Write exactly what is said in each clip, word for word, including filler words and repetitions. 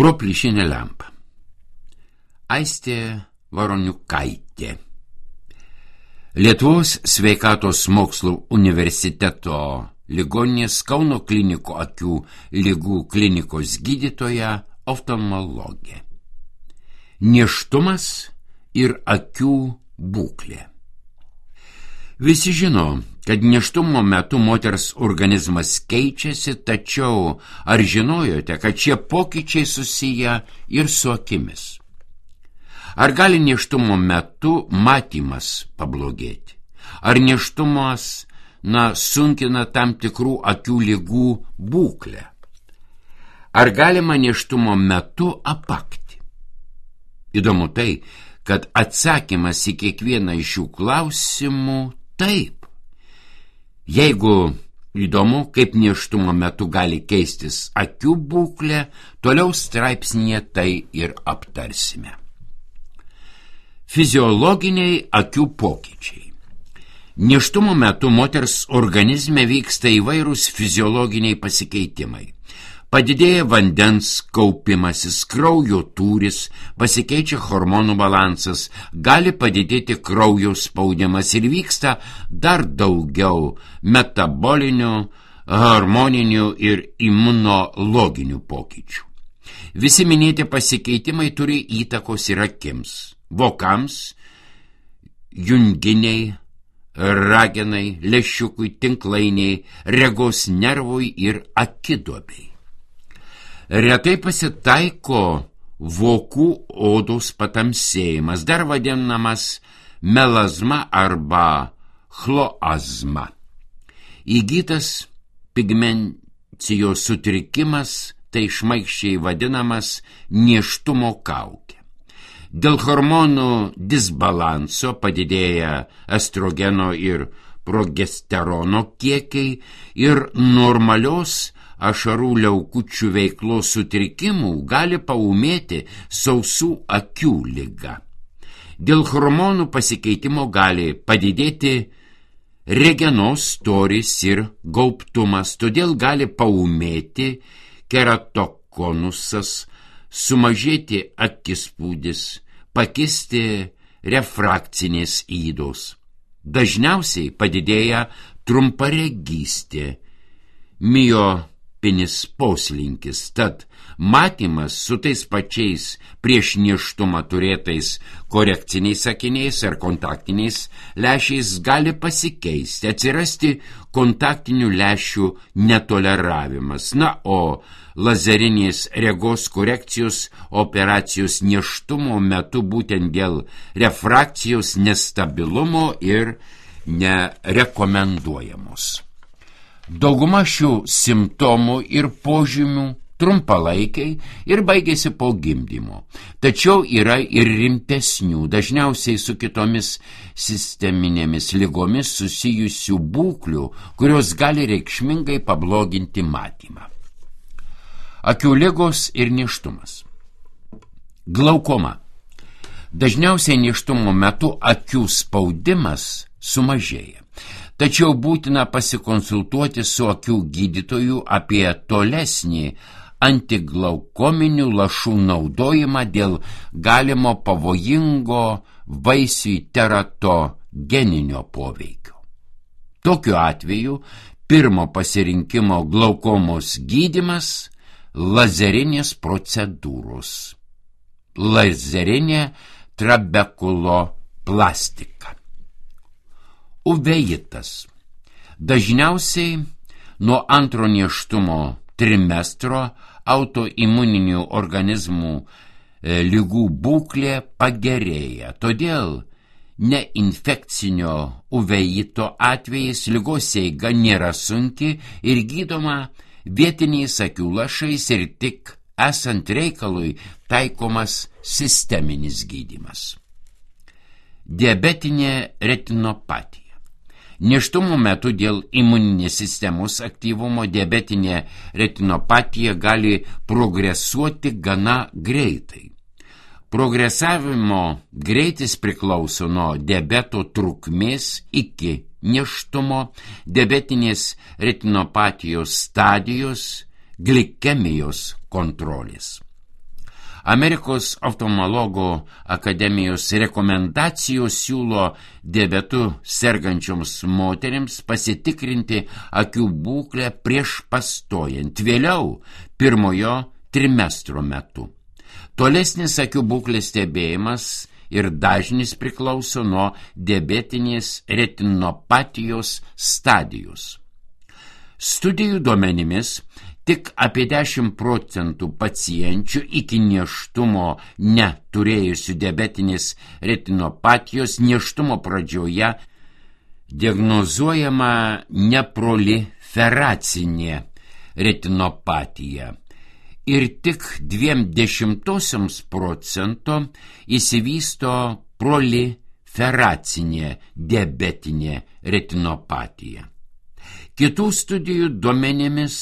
Pro plyšinę lempą. Aistė Varoniukaitė. Lietuvos sveikatos mokslų universiteto ligoninės Kauno klinikų akių ligų klinikos gydytoja oftalmologė. Nėštumas ir akių būklė. Visi žino, kad nėštumo metu moters organizmas keičiasi, tačiau ar žinojote, kad šie pokyčiai susiję ir su akimis? Ar gali nėštumo metu matymas pablogėti? Ar nėštumas, na, sunkina tam tikrų akių ligų būklę? Ar galima nėštumo metu apakti? Įdomu tai, kad atsakymas į kiekvieną iš šių klausimų taip. Jeigu įdomu, kaip nėštumo metu gali keistis akių būklė, toliau straipsnyje tai ir aptarsime. Fiziologiniai akių pokyčiai. Nėštumo metu moters organizme vyksta įvairūs fiziologiniai pasikeitimai. Padidėja vandens kaupimasis, kraujo tūris, pasikeičia hormonų balansas, gali padidėti kraujo spaudimas ir vyksta dar daugiau metabolinių, hormoninių ir imunologinių pokyčių. Visi minėti pasikeitimai turi įtakos ir akims, vokams, junginiai, ragenai, lęšiukui, tinklainiai, regos nervui ir akiduobei. Retai pasitaiko vokų odos patamsėjimas, dar vadinamas melazma arba chloazma. Įgytas pigmencijos sutrikimas, tai šmaikščiai vadinamas nėštumo kaukė. Dėl hormonų disbalanso padidėja estrogeno ir progesterono kiekiai ir normalios ašarų liaukučių veiklos sutrikimų gali paūmėti sausų akių liga. Dėl hormonų pasikeitimo gali padidėti regenos storis ir gaubtumas, todėl gali paūmėti keratokonusas, sumažėti akispūdis, pakisti refrakcinės ydos. Dažniausiai padidėja trumparegystė, miopinis poslinkis, tad matymas su tais pačiais prieš nėštumą turėtais korekciniais akiniais ar kontaktiniais lęšiais gali pasikeisti, atsirasti kontaktinių lęšių netoleravimas. Na, o lazerinės regos korekcijos operacijos nėštumo metu būtent dėl refrakcijos nestabilumo ir nerekomenduojamos. Dauguma šių simptomų ir požymių trumpalaikiai ir baigėsi po gimdymo. Tačiau yra ir rimtesnių, dažniausiai su kitomis sisteminėmis ligomis susijusių būklių, kurios gali reikšmingai pabloginti matymą. Akių ligos ir nėštumas. Glaukoma. Dažniausiai nėštumo metu akių spaudimas sumažėja. Tačiau būtina pasikonsultuoti su akių gydytoju apie tolesnį antiglaukominių lašų naudojimą dėl galimo pavojingo vaisiui teratogeninio poveikio. Tokiu atveju pirmo pasirinkimo glaukomos gydymas – lazerinės procedūros. Lazerinė trabekuloplastika. Uveitas. Dažniausiai nuo antro nėštumo trimestro autoimuninių organizmų e, ligų būklė pagerėja. Todėl neinfekcinio uveito atvejais ligos eiga nėra sunki ir gydoma vietiniais akių lašais ir tik esant reikalui taikomas sisteminis gydymas. Diabetinė retinopatija. Nėštumo metu dėl imuninės sistemos aktyvumo diabetinė retinopatija gali progresuoti gana greitai. Progresavimo greitis priklauso nuo diabeto trukmės iki nėštumo, diabetinės retinopatijos stadijos, glikemijos kontrolės. Amerikos oftalmologų akademijos rekomendacijos siūlo diabetu sergančioms moterims pasitikrinti akių būklę prieš pastojant, vėliau pirmojo trimestro metu. Tolesnis akių būklės stebėjimas ir dažnis priklauso nuo diabetinės retinopatijos stadijos. Studijų duomenimis tik apie dešimt procentų pacienčių iki nėštumo neturėjusių diabetinės retinopatijos nėštumo pradžioje diagnozuojama neproliferacinė retinopatija ir tik dviem dešimtosioms procento įsivysto proliferacinė diabetinė retinopatija. Kitų studijų duomenimis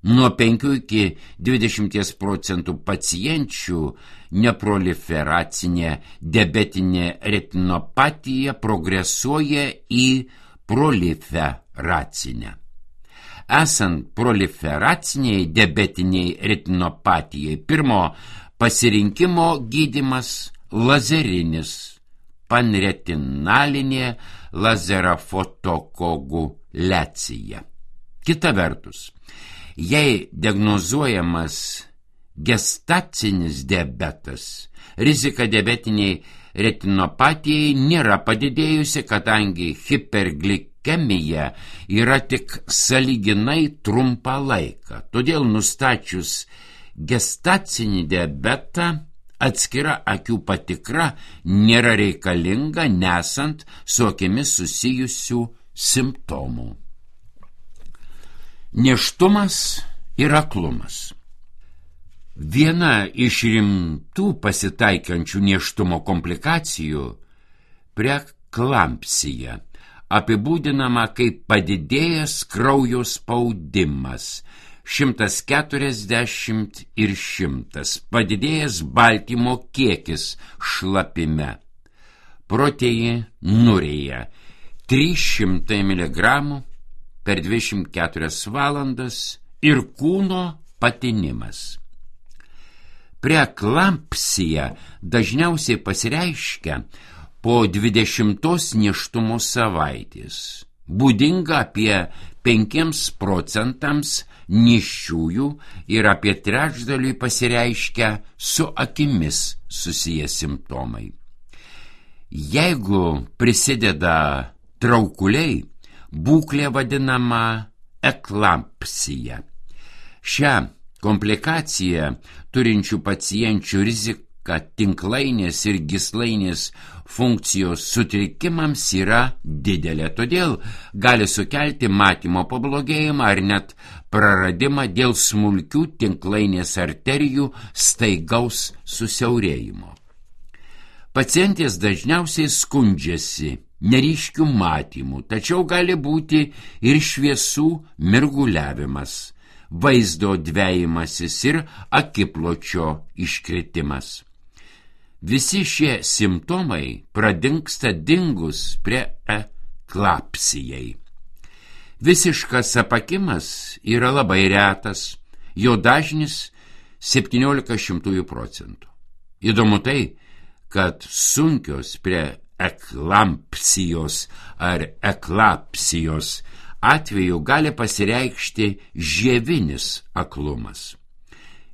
nuo penkių iki dvidešimties procentų pacienčių neproliferacinė diabetinė retinopatija progresuoja į proliferacinę. Esant proliferaciniai diabetiniai retinopatijai, pirmo pasirinkimo gydymas lazerinis, panretinalinė lazerafotokoagulacija. Kita vertus, jei diagnozuojamas gestacinis diabetas, rizika diabetiniai retinopatijai nėra padidėjusi, kadangi hiperglikemija Kemija yra tik sąlyginai trumpą laiką, todėl nustačius gestacinį diabetą atskira akių patikra nėra reikalinga, nesant su akimis susijusių simptomų. Nėštumas ir aklumas. Viena iš rimtų pasitaikančių nėštumo komplikacijų – preeklampsija, apibūdinama kaip padidėjęs kraujo spaudimas šimtas keturiasdešimt ir šimtas, padidėjęs baltymo kiekis šlapime, proteinurija trys šimtai miligramų per dvidešimt keturias valandas ir kūno patinimas. Preeklampsija dažniausiai pasireiškia po dvidešimtos nėštumo savaitės, būdinga apie penkiems procentams nėščiųjų ir apie trečdaliui pasireiškia su akimis susiję simptomai. Jeigu prisideda traukuliai, būklė vadinama eklampsija. Šią komplikaciją turinčių pacienčių rizika kad tinklainės ir gyslainės funkcijos sutrikimams yra didelė, todėl gali sukelti matymo pablogėjimą ar net praradimą dėl smulkių tinklainės arterijų staigaus susiaurėjimo. Pacientės dažniausiai skundžiasi neryškių matymų, tačiau gali būti ir šviesų mirguliavimas, vaizdo dvejimasis ir akipločio iškritimas. Visi šie simptomai pradingsta dingus preeklapsijai. Visiškas apakimas yra labai retas, jo dažnis septyniolika šimtųjų procentų. Įdomu tai, kad sunkios preeklampsijos ar eklapsijos atveju gali pasireikšti žievinis aklumas.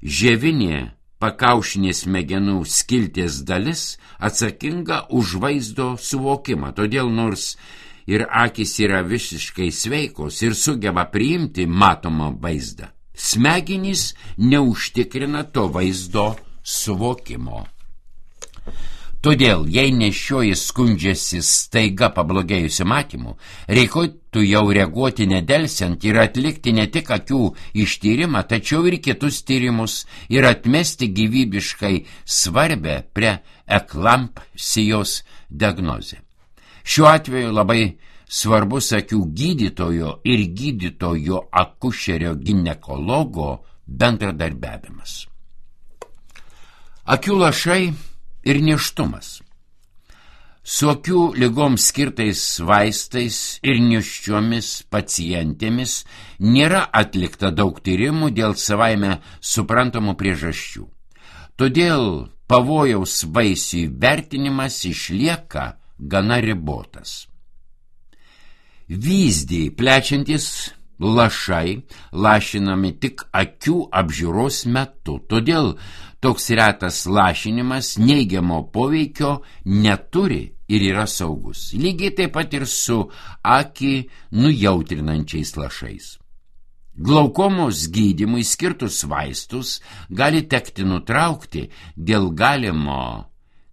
Žievinė pakaušinės smegenų skilties dalis atsakinga už vaizdo suvokimą, todėl nors ir akys yra visiškai sveikos ir sugeba priimti matomą vaizdą, smegenys neužtikrina to vaizdo suvokimo. Todėl, jei nešioji skundžiasi staiga pablogėjusiu matymu, reikėtų jau reaguoti nedelsiant ir atlikti ne tik akių ištyrimą, tačiau ir kitus tyrimus ir atmesti gyvybiškai svarbę preeklampsijos diagnozę. Šiuo atveju labai svarbus akių gydytojo ir gydytojo akušerio ginekologo bendradarbiavimas. Akių lašai ir nėštumas. Su akių ligoms skirtais vaistais ir nėščiomis pacientėmis nėra atlikta daug tyrimų dėl savaime suprantamų priežasčių. Todėl pavojaus vaisiui vertinimas išlieka gana ribotas. Vyzdį plečiantis lašai lašinami tik akių apžiūros metu, todėl toks retas lašinimas neigiamo poveikio neturi ir yra saugus. Lygiai taip pat ir su akį nujautrinančiais lašais. Glaukomos gydymui skirtus vaistus gali tekti nutraukti dėl galimo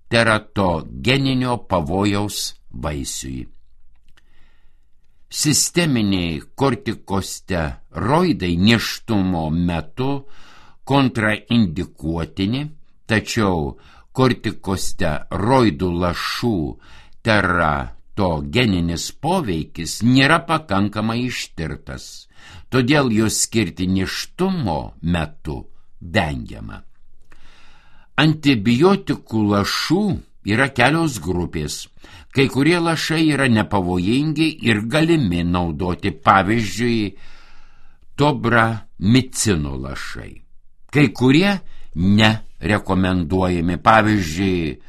teratogeninio pavojaus vaisiui. Sisteminiai kortikosteroidai nėštumo metu kontraindikuotini, tačiau kortikosteroidų lašų teratogeninis poveikis nėra pakankamai ištirtas, todėl juos skirti nėštumo metu vengiama. Antibiotikų lašų yra kelios grupės. Kai kurie lašai yra nepavojingi ir galimi naudoti, pavyzdžiui, tobramicino lašai. Kai kurie nerekomenduojami, pavyzdžiui,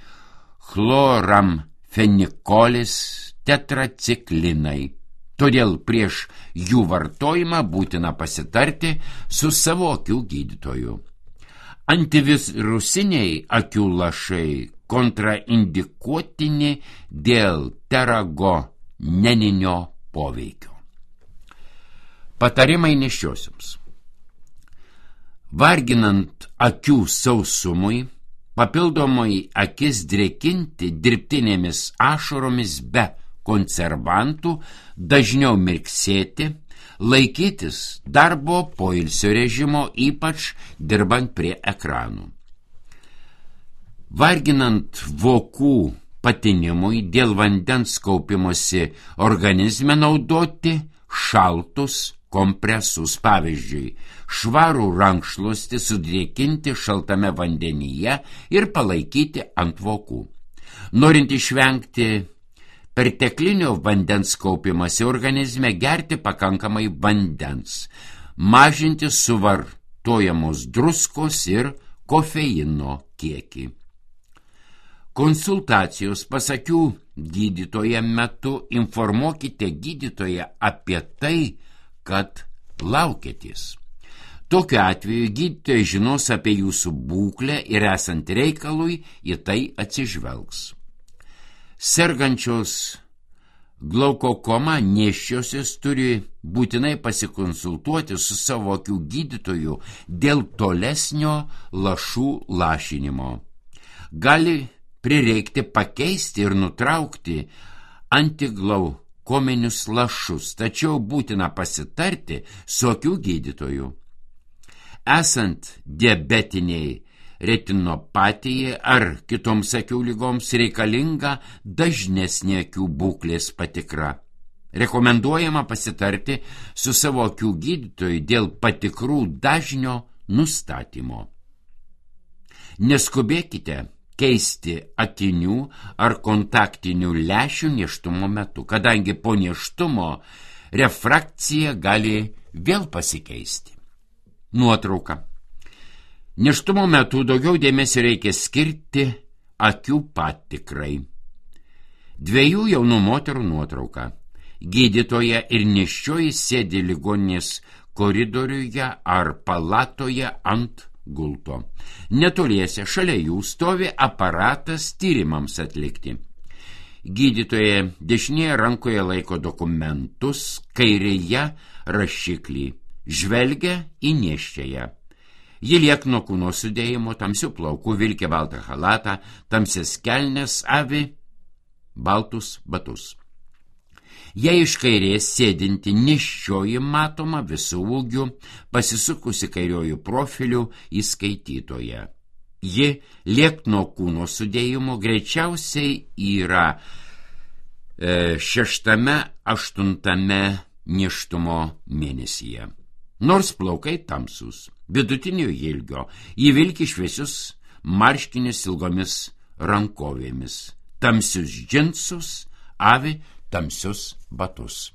chloramfenikolis, tetraciklinai. Todėl prieš jų vartojimą būtina pasitarti su savo akių gydytoju. Antivirusiniai akių lašai kontraindikuotini dėl teragoneninio poveikio. Patarimai nėščiosioms. Varginant akių sausumui, papildomai akis drėkinti dirbtinėmis ašaromis be konservantų, dažniau mirksėti, laikytis darbo poilsio režimo, ypač dirbant prie ekranų. Varginant vokų patinimui dėl vandens kaupimosi organizme naudoti šaltus kompresus, pavyzdžiui, švarų rankšluostį sudrėkinti šaltame vandenyje ir palaikyti ant vokų. Norint išvengti perteklinio vandens kaupimasi organizme, gerti pakankamai vandens, mažinti suvartojamos druskos ir kofeino kiekį. Konsultacijos pas akių gydytoją metu informuokite gydytoją apie tai, kad laukėtės. Tokiu atveju gydytojai žinos apie jūsų būklę ir esant reikalui į tai atsižvelgs. Sergančios glaukokoma nėščiosios turi būtinai pasikonsultuoti su savo akių gydytoju dėl tolesnio lašų lašinimo. Gali prireikti pakeisti ir nutraukti antiglaukominius lašus, tačiau būtina pasitarti su akių gydytoju. Esant diabetiniai retinopatijai ar kitoms akių lygoms reikalinga dažnesnė akių būklės patikra. Rekomenduojama pasitarti su savo akių gydytoju dėl patikrų dažnio nustatymo. Neskubėkite keisti akinių ar kontaktinių lęšių nėštumo metu, kadangi po nėštumo refrakcija gali vėl pasikeisti. Nuotrauka. Nėštumo metu daugiau dėmesio reikia skirti akių patikrai. Dviejų jaunų moterų nuotrauka. Gydytoja ir nėščioji sėdi ligoninės koridoriuje ar palatoje ant gulto. Netoliese šalia jų stovi aparatas tyrimams atlikti. Gydytoja dešinėje rankoje laiko dokumentus, kairėje rašiklį. Žvelgia į nėščiąją. Ji liekno kūno sudėjimo, tamsių plaukų, vilkė baltą chalatą, tamsias kelnes, avi baltus batus. Jei iš kairės sėdinti nėščioji matoma visų ūgių, pasisukusi kairiojų profilių į skaitytoją. Ji liekno kūno sudėjimo greičiausiai yra e, šeštame, aštuntame nėštumo mėnesyje. Nors plaukai tamsus, vidutinio ilgio, ji vilki šviesius marškinius ilgomis rankovėmis, tamsius džinsus, avi tamsius batus.